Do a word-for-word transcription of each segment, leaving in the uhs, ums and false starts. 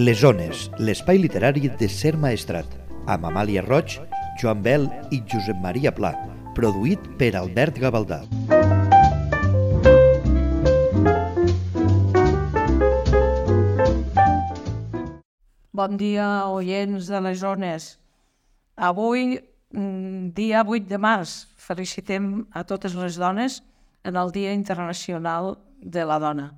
Les Ones, l'espai literari de Ser Maestrat, amb Amàlia Roig, Joan Bel i Josep Maria Pla, produït per Albert Gavaldà. Bon dia, oients de les Ones. Avui, dia vuit de març, felicitem a totes les dones en el Dia Internacional de la Dona,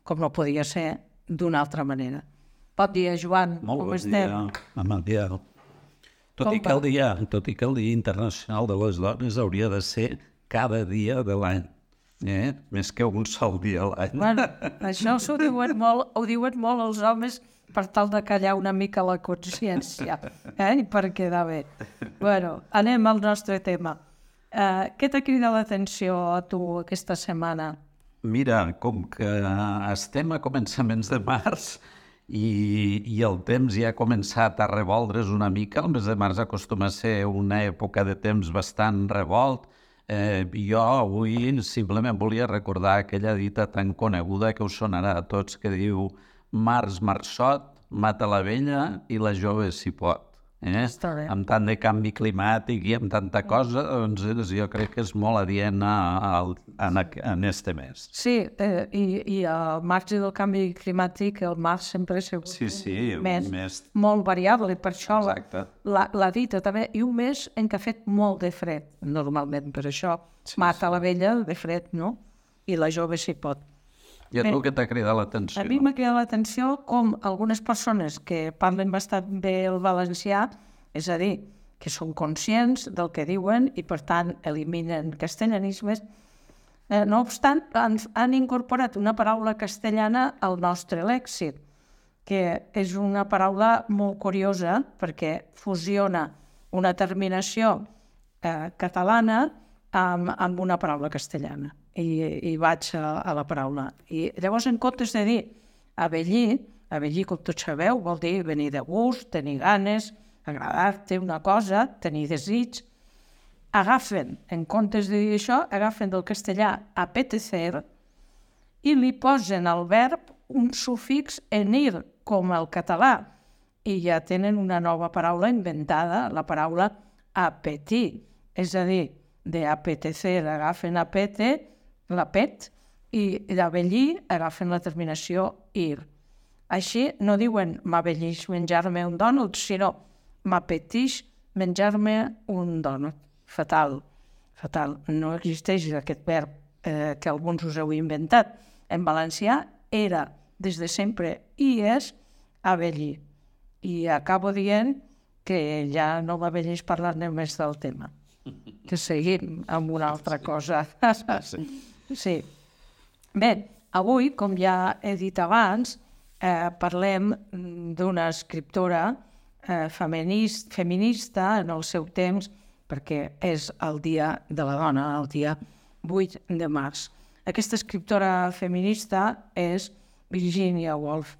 com no podia ser d'una altra manera. Bon dia, Joan. Molt com bon estem? dia, Amàlia. Tot Com i, que el dia, tot i que el Dia Internacional de les Dones hauria de ser cada dia de l'any, eh? Més que un sol dia a l'any. Bueno, això s'ho diuen molt, ho diuen molt els homes per tal de callar una mica la consciència, eh? I per quedar bé. Bueno, anem al nostre tema. Uh, què t'ha cridat l'atenció a tu aquesta setmana? Mira, com que estem a començaments de març i, i el temps ja ha començat a revoldre's una mica, el mes de març acostuma a ser una època de temps bastant revolt, eh, jo avui simplement volia recordar aquella dita tan coneguda que us sonarà a tots que diu març marçot, mata la vella i la jove s'hi pot. Eh? Està bé. Amb tant de canvi climàtic i amb tanta cosa, doncs jo crec que és molt adient a, a, a, en este mes. Sí, eh, i, i al marge del canvi climàtic, el març sempre ha sigut Sí, sí, un un mes, mes. molt variable, i per això la, Exacte. la, la dita també, i un mes en què ha fet molt de fred, normalment, per això Sí, mata sí. la vella de fred, no? I la jove s'hi pot. I a tu Bé, què t'ha cridat l'atenció? A mi m'ha cridat l'atenció com algunes persones que parlen bastant bé el valencià, és a dir, que són conscients del que diuen i, per tant, eliminen castellanismes, eh, no obstant, han, han incorporat una paraula castellana al nostre lèxic, que és una paraula molt curiosa perquè fusiona una terminació eh, catalana amb, amb una paraula castellana. I, i vaig a, a la paraula. I llavors, en comptes de dir avellir, avellir, com tots sabeu, vol dir venir de gust, tenir ganes, agradar-te una cosa, tenir desig. Agafen, en comptes de dir això, agafen del castellà apetecer i li posen al verb un sufix en ir, com el català, i ja tenen una nova paraula inventada, la paraula apetir, és a dir, de apetecer agafen apete, l'apet, i d'avellir agafen la terminació ir. Així no diuen m'avellix menjar-me un dònut, sinó m'apetix menjar-me un dònut. Fatal, fatal. No existeix aquest verb eh, que alguns us heu inventat. En valencià era, des de sempre, i és avellir. I acabo dient que ja no m'avelleix parlar-ne més del tema. Que seguim amb una altra cosa. Sí. Bé, avui, com ja he dit abans, eh, parlem d'una escriptora eh, feminist, feminista en el seu temps, perquè és el Dia de la Dona, el dia vuit de març. Aquesta escriptora feminista és Virginia Woolf.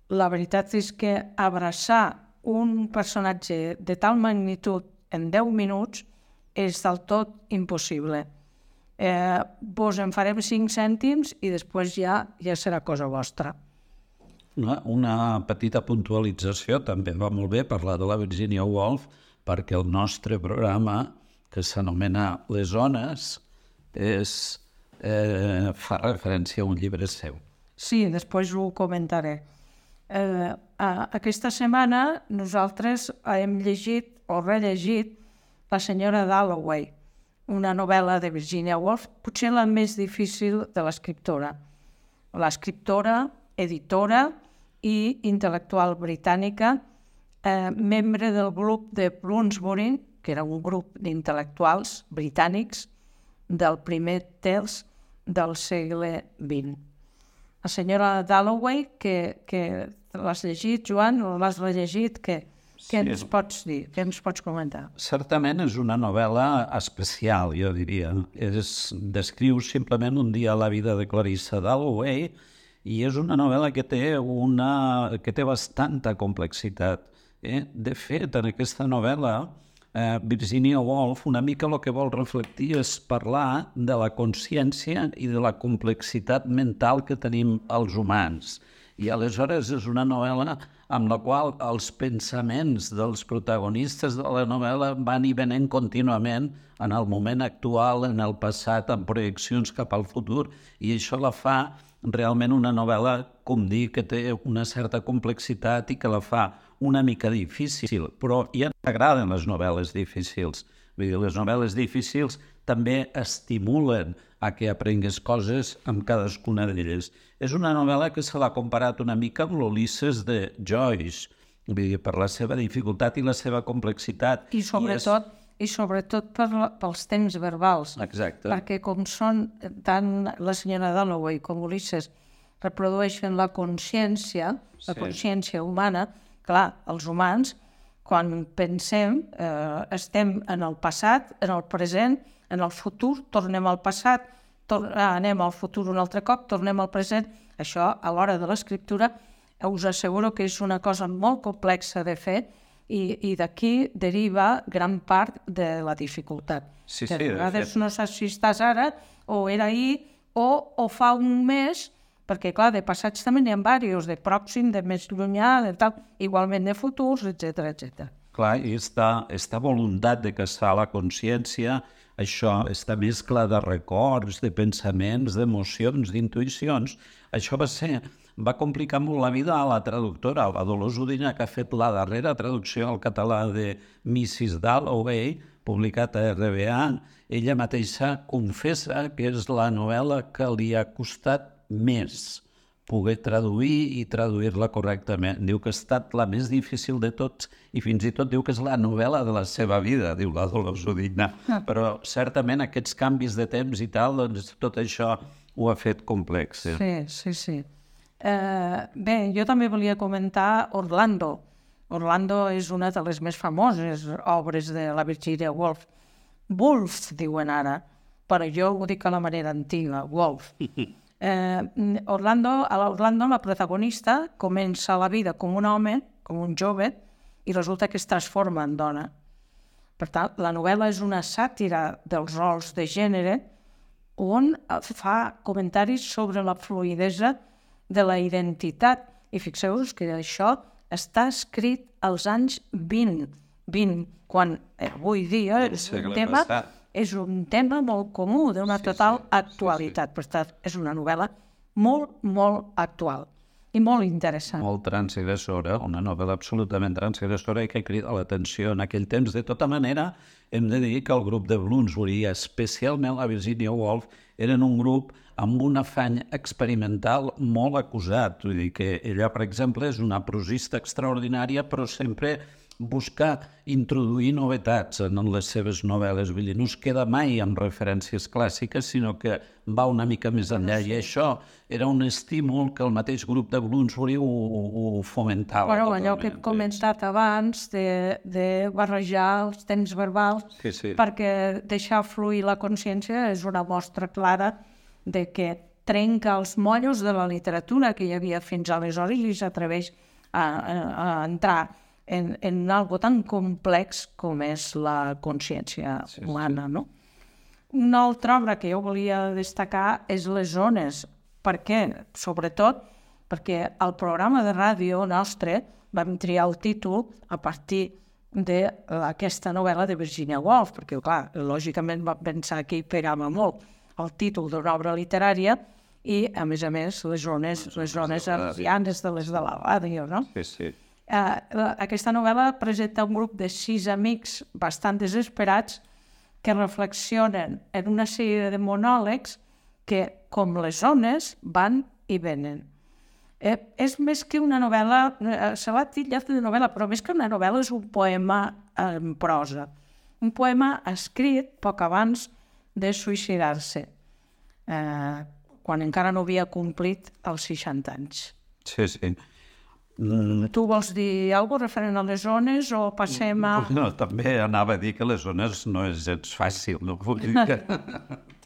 La veritat és que abraçar un personatge de tal magnitud en deu minuts és del tot impossible. Eh, vos en farem cinc cèntims i després ja ja serà cosa vostra. Una, una petita puntualització, també va molt bé parlar de la Virginia Woolf, perquè el nostre programa, que s'anomena Les Ones, és, eh, fa referència a un llibre seu. Sí, després ho comentaré. Eh, aquesta setmana nosaltres hem llegit o rellegit La senyora Dalloway, una novel·la de Virginia Woolf, potser la més difícil de l'escriptora. L'escriptora, editora i intel·lectual britànica, eh, membre del grup de Bloomsbury, que era un grup d'intel·lectuals britànics del primer terç del segle vint. La senyora Dalloway, que, que l'has llegit, Joan, o l'has rellegit, què, què Sí. ens pots dir? Què ens pots comentar? Certament és una novel·la especial, jo diria. És, descriu simplement un dia a la vida de Clarissa Dalloway i és una novel·la que té, una, que té bastanta complexitat. Eh? De fet, en aquesta novel·la, eh, Virginia Woolf una mica el que vol reflectir és parlar de la consciència i de la complexitat mental que tenim els humans. I aleshores és una novel·la amb la qual els pensaments dels protagonistes de la novel·la van i venen contínuament en el moment actual, en el passat, amb projeccions cap al futur, i això la fa realment una novel·la, com dir, que té una certa complexitat i que la fa una mica difícil, però ja m'agraden les novel·les difícils. Vull dir, les novel·les difícils també estimulen a que aprengues coses amb cadascuna d'elles. És una novel·la que se l'ha comparat una mica amb l'Ulisses de Joyce, vull dir, per la seva dificultat i la seva complexitat. I sobretot, I, és... i sobretot per la, pels temps verbals. Exacte. Perquè com són tant la senyora Dalloway com Ulisses reprodueixen la consciència, la Sí. consciència humana, clar, els humans, quan pensem, eh, estem en el passat, en el present, en el futur, tornem al passat, tor anem al futur un altre cop, tornem al present. Això, a l'hora de l'escriptura, us asseguro que és una cosa molt complexa de fer i, i d'aquí deriva gran part de la dificultat. Sí, que sí, a vegades de fet. no saps si estàs ara, o era ahir, o, o fa un mes, perquè, clar, de passats també n'hi ha diversos, de pròxim, de més llunyà, de tal, igualment de futurs, etcètera, etcètera. Clar, i esta, esta voluntat de caçar la consciència, això, esta mescla de records, de pensaments, d'emocions, d'intuïcions, això va ser, va complicar molt la vida a la traductora, a la Dolors Udina, que ha fet la darrera traducció al català de missus Dalloway, publicat a R B A. Ella mateixa confessa que és la novel·la que li ha costat més poder traduir i traduir-la correctament. Diu que ha estat la més difícil de tots i fins i tot diu que és la novel·la de la seva vida, diu la Dolors Udina. Ah. Però certament aquests canvis de temps i tal, doncs tot això ho ha fet complex. Sí, Sí, sí, sí. Eh, bé, jo també volia comentar Orlando. Orlando és una de les més famoses obres de la Virginia Woolf. Woolf, diuen ara, però jo ho dic a la manera antiga, Woolf. Eh, Orlando, a l'Orlando la protagonista comença la vida com un home, com un jove, i resulta que es transforma en dona. Per tant, la novel·la és una sàtira dels rols de gènere on fa comentaris sobre la fluïdesa de la identitat. I fixeu-vos que això està escrit als anys vint, vint quan avui dia és un tema... passat. És un tema molt comú, d'una Sí, total sí, actualitat. Per tant, és una novel·la molt, molt actual i molt interessant. Molt transgressora, una novel·la absolutament transgressora i que crida l'atenció en aquell temps. De tota manera, hem de dir que el grup de Bloomsbury, especialment la Virginia Woolf, eren un grup amb un afany experimental molt acusat. Vull dir que ella, per exemple, és una prosista extraordinària, però sempre busca introduir novetats en les seves novel·les. Vull dir, no es queda mai amb referències clàssiques, sinó que va una mica més enllà. I això era un estímul que el mateix grup de Bloomsbury ho, ho fomentava. Bueno, allò que he totalment. comentat abans de, de barrejar els temps verbals, Sí, sí. perquè deixar fluir la consciència és una mostra clara de que trenca els mollos de la literatura que hi havia fins aleshores i s'atreveix a, a, a entrar en, en algo tan complex com és la consciència Sí, sí. humana, no? Una altra obra que jo volia destacar és Les zones. Per què? Sobretot perquè al programa de ràdio nostre vam triar el títol a partir d'aquesta novel·la de Virginia Woolf, perquè, clar, lògicament vam pensar que hi pegava molt el títol d'una obra literària i, a més a més, les zones, les zones arsianes de les de la ràdio, no? Sí, sí. Uh, aquesta novel·la presenta un grup de sis amics bastant desesperats que reflexionen en una sèrie de monòlegs que, com les ones, van i venen. Eh, és més que una novel·la, eh, se l'ha titllat de novel·la, però més que una novel·la és un poema en prosa. Un poema escrit poc abans de suïcidar-se, eh, quan encara no havia complit els seixanta anys. Sí, sí. Mm, Tu vols dir alguna cosa referent a les zones o passem a... no, també anava a dir que les zones no és gens fàcil, no vull dir que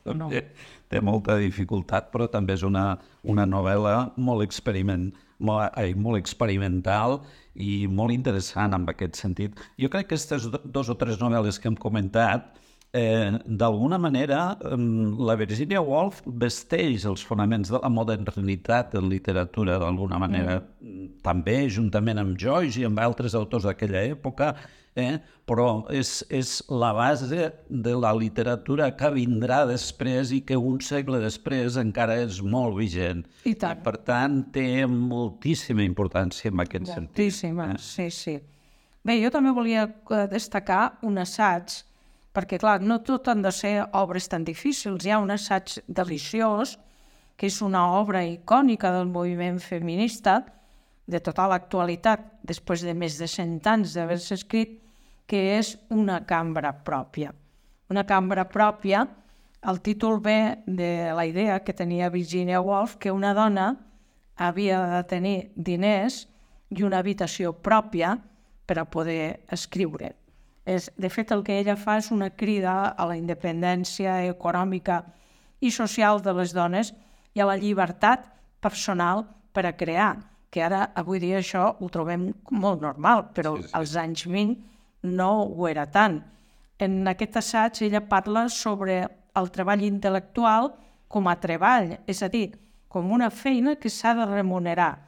No. també té molta dificultat, però també és una, una novel·la molt, experiment, molt, ai, molt experimental i molt interessant en aquest sentit. Jo crec que aquestes do- dos o tres novel·les que hem comentat Eh, D'alguna manera, la Virginia Woolf vesteix els fonaments de la modernitat en literatura, d'alguna manera, mm. també, juntament amb Joyce i amb altres autors d'aquella època, eh? però és, és la base de la literatura que vindrà després i que un segle després encara és molt vigent. I tant. I, per tant, té moltíssima importància en aquest sentit. Moltíssima, eh? sí, sí. Bé, jo també volia destacar un assaig, perquè, clar, no tot han de ser obres tan difícils. Hi ha un assaig deliciós, que és una obra icònica del moviment feminista, de tota l'actualitat, després de més de cent anys d'haver-se escrit, que és Una cambra pròpia. Una cambra pròpia, el títol ve de la idea que tenia Virginia Woolf que una dona havia de tenir diners i una habitació pròpia per a poder escriure. És, de fet, el que ella fa és una crida a la independència econòmica i social de les dones i a la llibertat personal per a crear, que ara, avui dia, això ho trobem molt normal, però sí, sí. als anys vint no ho era tant. En aquest assaig ella parla sobre el treball intel·lectual com a treball, és a dir, com una feina que s'ha de remunerar.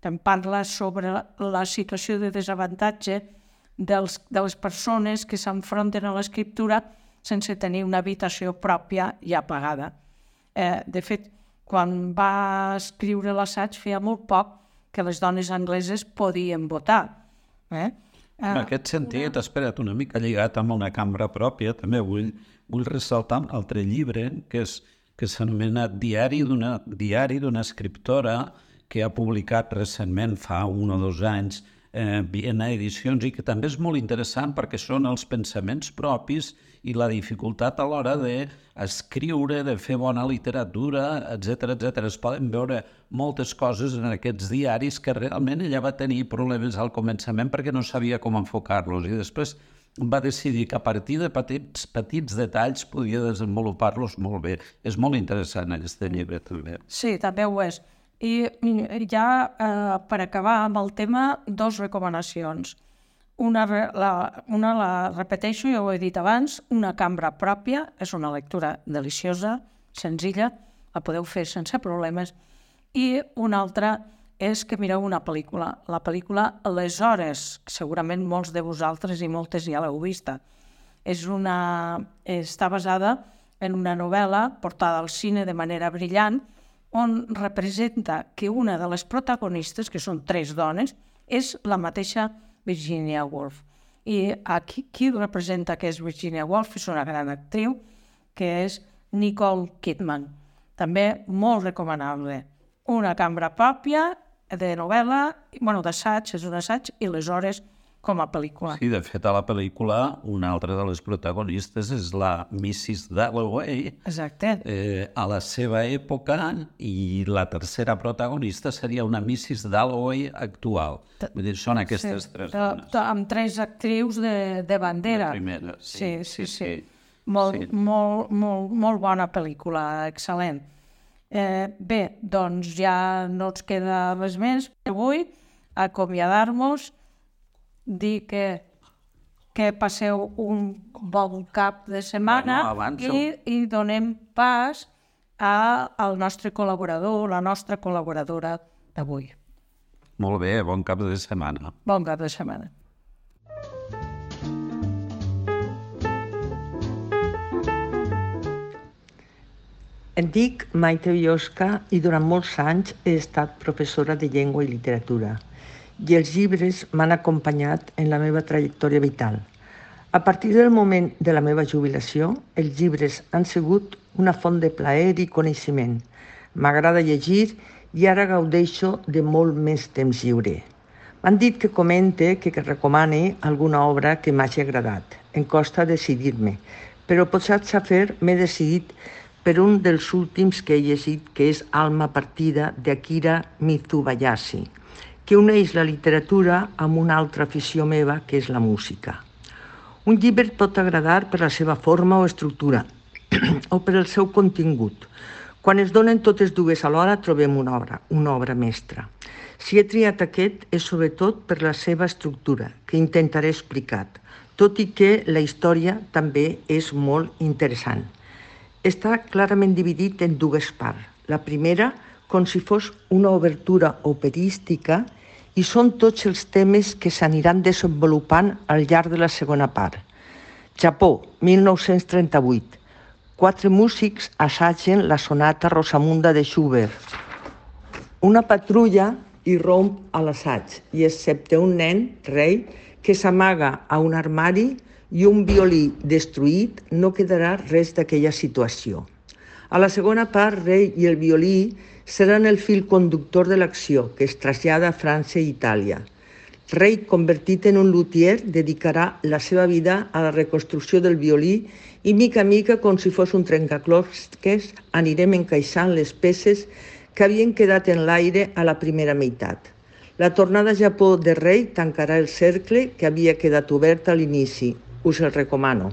També parla sobre la situació de desavantatge dels, de les persones que s'enfronten a l'escriptura sense tenir una habitació pròpia ja pagada. Eh, de fet, quan va escriure l'assaig feia molt poc que les dones angleses podien votar. Eh? En aquest sentit, una... espera't, una mica lligat amb Una cambra pròpia, també vull, vull ressaltar un altre llibre que, és, que s'anomena Diari d'una diari d'una escriptora que ha publicat recentment, fa un o dos anys, eh, Viena Edicions, i que també és molt interessant perquè són els pensaments propis i la dificultat a l'hora d'escriure, de fer bona literatura, etcètera, etcètera. Es poden veure moltes coses en aquests diaris que realment ella va tenir problemes al començament perquè no sabia com enfocar-los i després va decidir que a partir de petits, petits detalls podia desenvolupar-los molt bé. És molt interessant aquest llibre també. Sí, també ho és. I ja eh, per acabar amb el tema, dos recomanacions. Una la, una la repeteixo, ja ho he dit abans, Una cambra pròpia, és una lectura deliciosa, senzilla, la podeu fer sense problemes, i una altra és que mireu una pel·lícula, la pel·lícula Les hores, segurament molts de vosaltres i moltes ja l'heu vista. És una, està basada en una novel·la portada al cine de manera brillant, on representa que una de les protagonistes, que són tres dones, és la mateixa Virginia Woolf. I aquí qui representa que és Virginia Woolf és una gran actriu, que és Nicole Kidman. També molt recomanable. Una cambra pròpia de novel·la, bueno, d'assaig, és un assaig, i Les hores com a pel·lícula. Sí, de fet, a la pel·lícula, una altra de les protagonistes és la missus Dalloway, exacte. Eh, a la seva època, i la tercera protagonista seria una missus Dalloway actual. Vull dir, són aquestes sí, tres dones. De, amb tres actrius de, de bandera. La primera, sí. Sí, sí, sí. sí. Molt, sí. Molt, molt, molt bona pel·lícula, excel·lent. Eh, bé, doncs ja no ens queda res més. Avui, acomiadar-nos, dir que, que passeu un bon cap de setmana bueno, i, i donem pas a, al nostre col·laborador, la nostra col·laboradora d'avui. Molt bé, bon cap de setmana. Bon cap de setmana. Em dic Maite Biosca i durant molts anys he estat professora de llengua i literatura. I els llibres m'han acompanyat en la meva trajectòria vital. A partir del moment de la meva jubilació, els llibres han sigut una font de plaer i coneixement. M'agrada llegir i ara gaudeixo de molt més temps lliure. M'han dit que comente, que, que recomane alguna obra que m'hagi agradat. Em costa decidir-me, però potser a fer m'he decidit per un dels últims que he llegit, que és Alma partida, d'Akira Mitsubayashi, que uneix la literatura amb una altra afició meva, que és la música. Un llibre pot agradar per la seva forma o estructura, o per el seu contingut. Quan es donen totes dues alhora, trobem una obra, una obra mestra. Si he triat aquest, és sobretot per la seva estructura, que intentaré explicar. tot i que la història també és molt interessant. Està clarament dividit en dues parts. La primera, com si fos una obertura operística, i són tots els temes que s'aniran desenvolupant al llarg de la segona part. Japó, mil nou-cents trenta-vuit. Quatre músics assagen la sonata Rosamunda de Schubert. Una patrulla irromp a l'assaig i, excepte un nen, rei, que s'amaga a un armari i un violí destruït, no quedarà res d'aquella situació. A la segona part, rei i el violí seran el fil conductor de l'acció, que es trasllada a França i Itàlia. Rei, convertit en un luthier, dedicarà la seva vida a la reconstrucció del violí i, mica a mica, com si fos un trencaclosques, anirem encaixant les peces que havien quedat en l'aire a la primera meitat. La tornada a Japó de Rei tancarà el cercle que havia quedat obert a l'inici. Us el recomano.